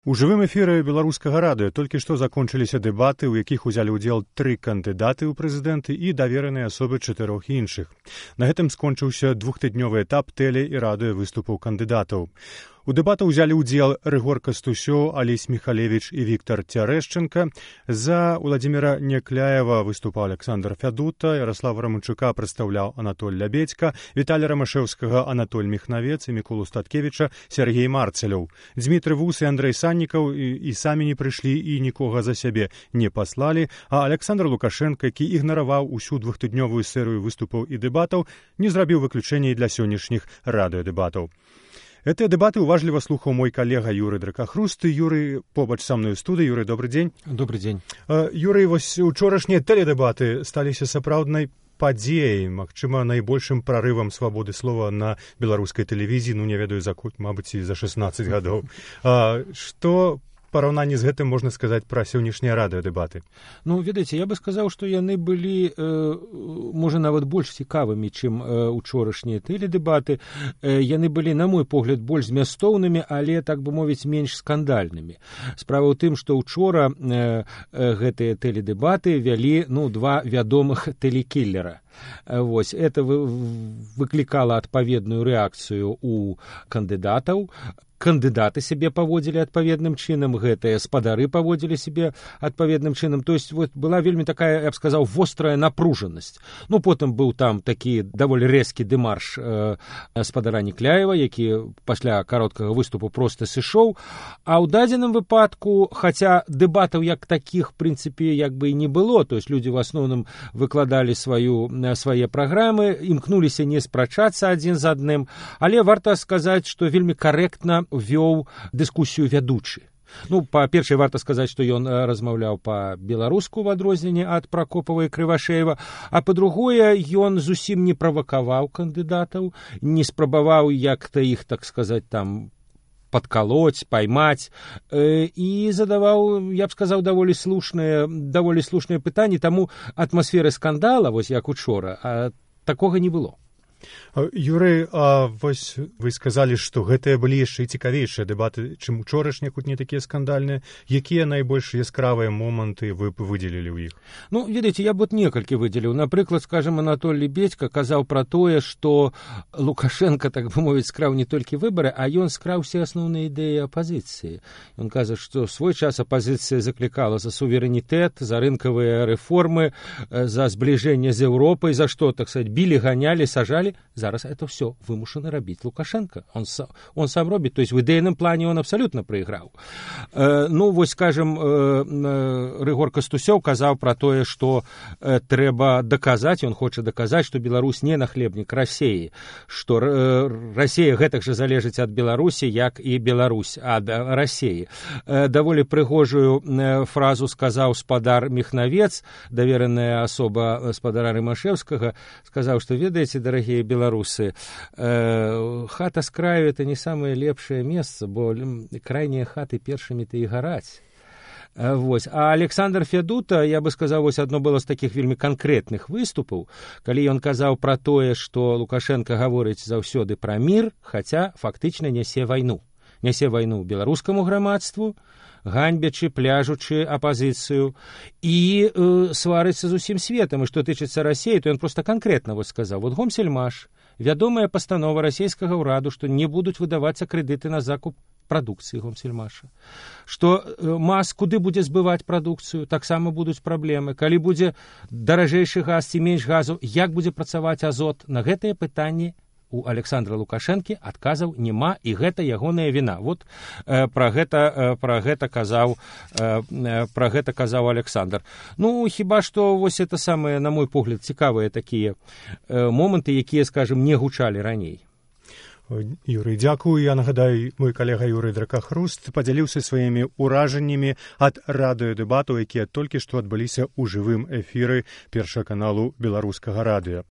У жывым эфіры беларускага радыё толькі што закончыліся дэбаты, у якіх узялі ўдзел 3 кандыдаты ў прэзідэнты і давераныя асобы 4 іншых. На гэтым скончыўся двухтыднёвы этап тэле- і радыёвыступаў кандыдатаў. У дэбатах узялі ўдзел Рыгор Кастусёў, Алесь Михалевич і Віктор Цярэшченка. За Владзіміра Някляева выступаў Александр Фядута, Ярослава Раманчука прадстаўляў Анатоль Лябедзька, Віталія Рамашэўскага Анатоль Міхнавец і Міколу Статкевіча Сергей Марцелёў. Дмітрый Вус і Андрэй Саннікаў і самі не прыйшлі і нікога за сябе не паслалі, а Александр Лукашенко, які ігнараваў усю двухтыднёвую серыю выступаў і дэбатаў, не зрабіў выключэння і для сённяшніх радыёдэбатаў. Гэтыя дэбаты уважліва слухаў мой калега Юрый Дракахруст. Юрый побач са мной у студыі. Юрый, добрый дзень. Добрый дзень. Юрый, вось учорашнія тэледэбаты сталіся сапраўднай падзеяй, магчыма, найбольшым прарывам свабоды слова на беларускай тэлевізіі, не ведаю, мабыць, і за 16 гадоў. Што параўнанні з гэтым можна сказаць пра сённяшнія радыёдэбаты? Ведаеце, я бы сказаў, што яны былі, можа, нават больш цікавымі, чым учорашнія тэледэбаты. Яны былі, на мой погляд, больш змястоўнымі, але, так бы мовіць, менш скандальнымі. Справа ў тым, што ўчора гэтыя тэледэбаты вялі, два вядомых тэлекіллера. Вось, это выклікала адпаведную рэакцыю у кандыдатаў. Кандыдаты сябе паводзілі адпаведным чынам, гэтыя спадары паводзілі сябе адпаведным чынам. То есть была вельмі такая, я б сказаў, вострая напружанасць. Потым быў там такі даволі рэзкі дэмарш спадара Някляева, які пасля кароткага выступу проста сышоў. А ў дадзеным выпадку, хаця дэбатаў як такіх, в прынцыпе, як бы і не было, то есть людзі в асноўным выкладалі свае праграмы, імкнуліся не спрачацца адзін з адным, але варта сказаць, што вельмі карэктна вёў дыскусію вядучы. Па-першае, варта сказаць, што ён размаўляў па-беларуску ў адрозненне ад Пракопава і Крывашеева, а па-другое, ён зусім не правакаваў кандыдатаў, не спрабаваў як-то іх, так сказаць, там падкалоць, паймаць, і задаваў, я б сказаў, даволі слушныя пытанні, таму атмасферы скандала, вось як учора, такога не было. Юрый, вось вы сказалі, што гэтыя былі яшчэ і цікавейшыя дэбаты, чым учорашнія, хоць не такія скандальныя. Якія найбольш яскравыя моманты вы б выдзелілі ў іх? Ведаеце, я б некалькі выдзеліў. Напрыклад, скажем, Анатоль Лябедзька казаў пра тое, што Лукашенко, так бы мовіць, скраў не толькі выбары, а ён скраў усе асноўныя ідэі апазіцыі. Ён кажа, што в свой час апазіцыя заклікала за суверэнітэт, за рынкавыя рэформы, за збліжэнне з Еўропай, за што, так сказать, білі, ганялі, сажалі. Зараз это все вымушаны рабіць Лукашенко. Он сам робіць, то есть в ідэйным плане он абсолютно прайграў. Вось, скажем, Рыгор Кастусёў казаў пра тое, што трэба даказаць, он хоча даказаць, што Беларусь не нахлебнік Расеі, што Расея гэтак жа залежыць ад Беларусі, як і Беларусь ад Расеі. Даволі прыгожую фразу сказаў спадар Міхнавец, давераная асоба спадара Рымашэўскага, сказаў, што, ведаеце, дарагія беларусы, хата с краю это не самое лепшее место, бо крайние хаты першымі-то і гараць. Вось. А Александр Фядута, я бы сказаў, вось адно было з такіх вельмі канкрэтных выступаў, калі ён казаў пра тое, што Лукашенко гаворыць заўсёды пра мір, хаця фактычна нясе вайну. Нясе вайну беларускаму грамадству, ганьбячы, пляжучы апазіцыю і сварыцца з усім светам. І што тычыцца Расеі, то ён проста канкрэтна вось сказаў. Вот Гомсельмаш, вядомая пастанова расійскага ўраду, што не будуць выдавацца крэдыты на закуп прадукцыі Гомсельмаша. Што МАЗ куды будзе збываць прадукцыю, таксама будуць праблемы. Калі будзе даражэйшы газ ці менш газу, як будзе працаваць азот? На гэтыя пытанні у Александра Лукашэнкі адказаў няма, і гэта ягоная віна. Вот пра гэта казаў Александр. Хіба што вось это самыя, на мой погляд, цікавыя такія моманты, якія, скажем, не гучалі раней. Юрый, дзякую. Я нагадаю, мой калега Юрый Дракахруст падзяліўся сваімі ўражаннямі ад радыёдэбатаў, якія толькі што адбыліся ў жывым эфіры першага каналу беларускага радыё.